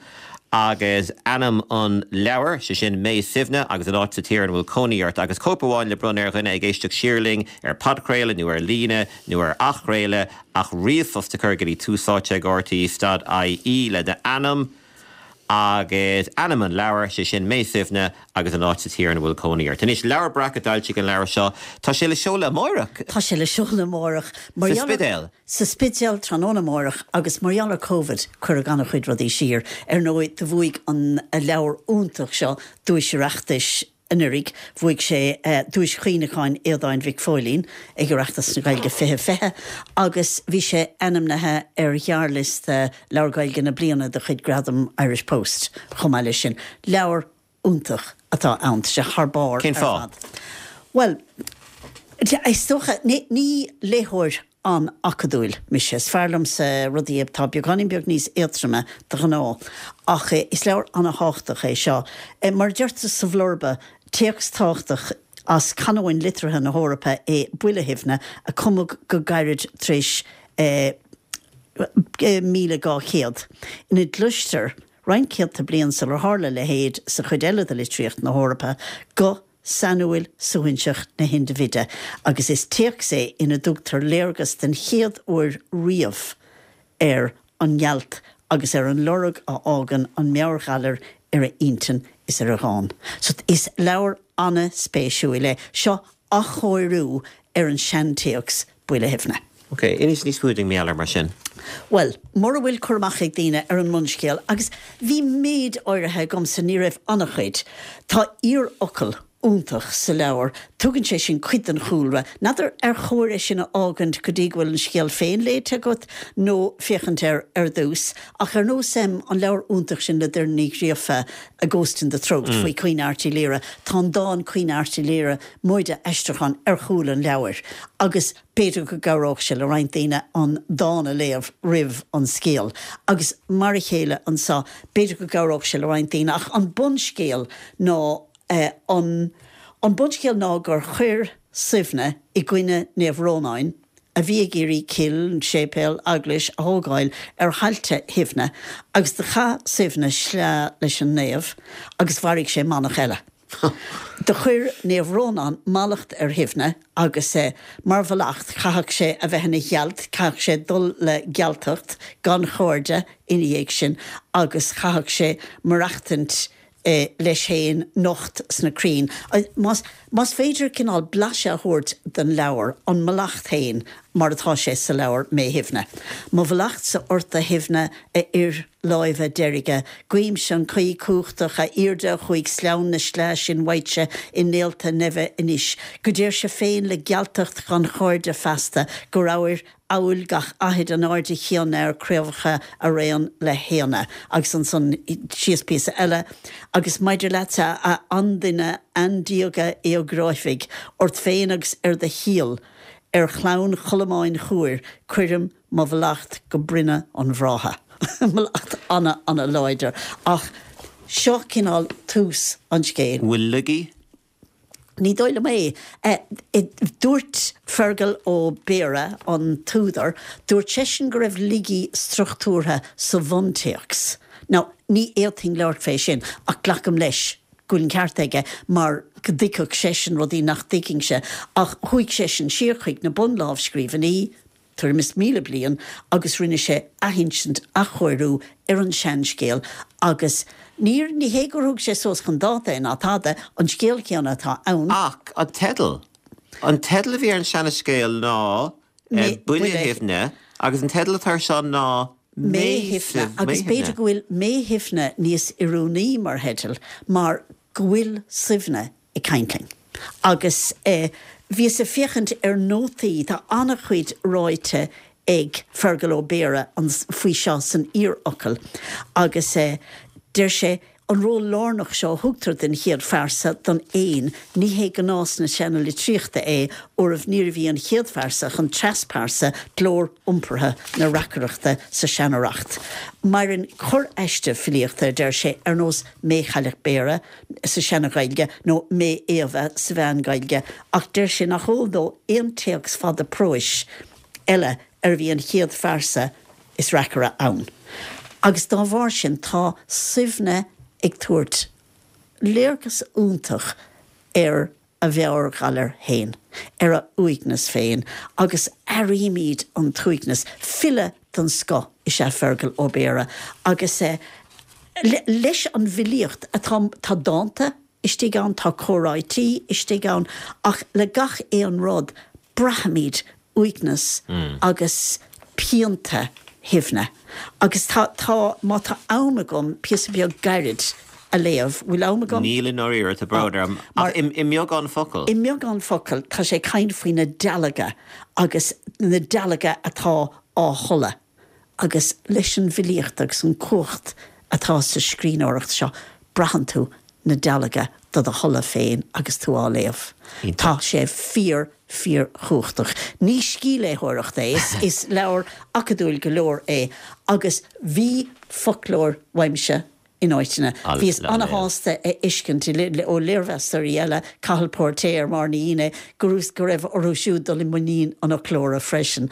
agus ainm an leabhar, sé sin Mé Suibhne, agus an áit sa tír ina bhfuil cónaí ort, agus cóip amháin le bronnadh ar dhuine ag éisteacht siar linn ar podchraoladh nó ar líne nó ar athchraoladh ach ríomhphost a chur go dtí túsáite ag R T E dot I E le d'ainm agus ainm an leabhar, sé sin Mé Suibhne, agus an áit sa tír ina bhfuil cónaí ort. Anois, Leabhar Breac a d'fhoilsigh an leabhar seo, tá sé le seoladh amárach. Tá sé le seoladh amárach. Sa Spidéal. Sa Spidéal tráthnóna amárach, agus mar gheall ar Covid cuireadh an-chuid rudaí siar. Ar ndóigh do bhuaigh an leabhar iontach seo duais Oireachtais anuraidh, bhuaigh sé uh, duais chuimhneacháin Aodáin Mhic Phóilín ag Oireachtas na Gaeilge fiche fiche agus bhí sé ainmnithe ar ghearrliosta leabhar Gaeilge na bliana de chuid Gradam Irish Post chomh maith leis sin. Leabhar iontach atá ann, sé thar barr. Cén fáth? Well, is dócha ní, ní léitheoir an-acadúil mise. Is fearr liomsa rudaí atá beagáinín beag níos éadroime de ghnáth, ach is leabhar an-tábhachtach é seo. Mar deirtear sa bhlurba, téacs tábhachtach as canóin liteartha na hEorpa é Buile Shuibhne, a cumadh go gairid tar éis eh, míle dhá chéad. Ina gcloistear roinnt céadta bliain sular tharla a leithéid sa chuid eile de litríocht na hEorpa guth sainiúil suaithinseach na hindibhide, agus is téacs é ina dtugtar léargas den chéad uair riamh ar an ngealt agus ar an lorg a fhágann an meabhairghalar ar a intinn is ar a dhán. So is leabhar an-spéisiúil é seo, athchóiriú ar an seantéacs Buile Shuibhne. Ok, inis níos mó dúinn mar gheall air mar sin. Well, mura bhfuil cur amach ag daoine ar an mbunscéal, agus bhí méid áirithe agamsa, ní raibh an-chuid, tá iarfhocal iontach sa leabhar. Tugann sé sin cuid den chúlra. N'fheadar ar chóir é sin a fhágaint go dtí go bhfuil an scéal féin léite agat nó féachaint air ar dtús. Ach ar nós em, an leabhar iontach sin le Doireann Ní Ghríofa, A Ghost in the Throat, faoi Queen Art Uí Laoire, tá an dán Queen Art Uí Laoire móide aistriúchán ar chúl an leabhair. Agus b'fhéidir go gcabhródh sé le roinnt daoine an dán a léamh roimh an scéal. Agus mar a chéile anseo, b'fhéidir go gcabhródh sé le roinnt daoine. Ach an bunscéal ná an an bunscéal ná gur chuir Suibhne i gcoinne Naomh Rónáin, a bhí ag iarraidh cill, séipéal, eaglais a thógáil ar thailte Shuibhne, agus do chaith Suibhne sleá leis an naomh agus mharaigh sé manach eile. Do chuir Naomh Rónán mallacht ar Shuibhne agus mar mhallacht chaithfeadh sé a bheith ina ghealt, chaithfeadh sé dul le gealtacht gan chairde ina dhiaidh sin agus chaithfeadh sé maireachtaint leis féin nocht sna crainn. Más, más féidir cineál blaiseadh a thabhairt den leabhar, an mallacht féin mar atá sé sa leabhar Mé Shuibhne. Mo mhallachtsa ort a Shuibhne, a fhir láimhe deirge, guímse an Caoi cumhachtach, a aoirde a chuaigh sleamhain na sleá sin uaitse i néalta neimhe anois, go dtéirse féin le gealtacht gan chairde feasta, go rabhair amhail gach aithid an airde chéanna ar craobhacha araon le héanna. Agus ansan síos píosa eile, Agus maidir leatsa, a anduine aindiaga éagráifigh, ort féin agus ar do shíol, ar chlann Cholmáin Chumhair, cuirim mo mhallacht go broinne an bhrátha. Mallacht ana, ana láidir. Ach seo cineál tús an scéil. Bhfuil laigí? Ní dóigh liom é. Dúirt Fergal Ó Béarra, an t-údar, dúirt seisean go raibh laigí struchtúrtha sa bhuntéacs. Now, ní fhéadfainn labhairt fé sin, ach glacaim leis go bhfuil an ceart aige mar go dtuigfeadh seisean rudaí nach dtuigfinnse. Ach chuaigh seisean siar chuig na bunlámhscríbhinní, tuairim is míle bliain agus rinne sé athinsint, athchóiriú ar an seanscéal agus níor, ní hé gur thug sé suas chun dáta é ná tada, an scéal céanna atá ann. Ach an teideal, an teideal a bhí ar an seanscéal ná Buile Shuibhne agus an teideal atá air seo ná Mé Shuibhne agus b'fhéidir go bhfuil Mé Shuibhne níos oiriúnaí mar theideal mar go bhfuil Suibhne ag caint linn. Agus bhíos ag féachaint ar nótaí, tá an-chuid ráite ag Fergal Ó Béarra faoi seo san iarfhocal agus deir sé, an ról lárnach seo a thugtar den chéad phearsa, don fhéin, ní hé gnás na seanalitríochta é, óir níorbh í an chéad phearsa ach an treaspearsa glór iompartha na reacaireachta sa seanreacht. Maireann corr-aiste filíochta, a deir sé, ar nós Mé Chailleach Bhéarra sa Seana-Ghaeilge nó Mé Éabha sa Mheán-Ghaeilge, ach deir sé nach eol dó aon téacs fada próis eile arbh í an chéad phearsa is reacaire ann. Agus dá bharr sin tá Suibhne ag tabhairt léargas iontach ar a mheabhairghalar féin, ar a uaigneas féin, agus airímid an t-uaigneas. File den scoth is ea Fergal Ó Béarra agus leis an bhfilíocht atá, tá dánta istigh ann, tá comhráití istigh ann, ach le gach aon rud braithimid uaigneas agus pianta Shuibhne. Agus tá, tá, má tá am agam píosa beag gairid a léamh, bhfuil am agam? Níl i ndáiríre, tá brón orm, ach i mbeagán focal. I mbeagán focal, tá sé ag caint faoi na dealga agus na dealga atá á tholladh. Agus leis an bhfilíocht agus an cumhacht atá sa scríbhneoireacht seo, braitheann tú na dealga do do tholladh féin agus tú á léamh. Tá sé fíor, fíor-chumhachtach. Ní scíthléitheoireacht é, is leabhar acadúil go leor é agus bhí foclóir uaimse in áiteanna. Bhíos ana-shásta a fheiscint ó léirmheastóirí eile, Cathal Póirtéir mar na dhaoine, go raibh orthu siúd dul i muinín an fhoclóra freisin.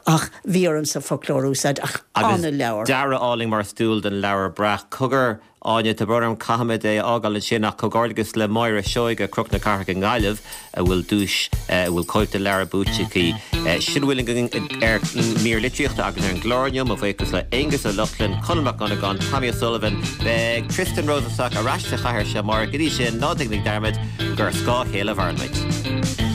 Ach bhí ormsa foclóir a úsáid, ach ana-leabhar. Agus dearadh álainn mar is dual don leabhar breac. Cogar, Áine, tá brón orm, caithfimid é a fhágáil ansin ach comhghairdeas le Máire Seoige, Cnoc na Cathrach i nGaillimh, a bhfuil duais, a bhfuil cóip de leabhar buaite aici. Sin a bhfuil againn ar mír litríochta agus ar an gclár inniu. Mo bhuíochas le Aonghus Ó Lochlainn, Conall Mac Dhonnagáin, Tommy O'Sullivan. Beidh Tristan Rosenstock ar ais sa chathaoir seo amárach. Go dtí sin, ná déanaigí dearmad gur ar scáth a chéile a mhaireann muid.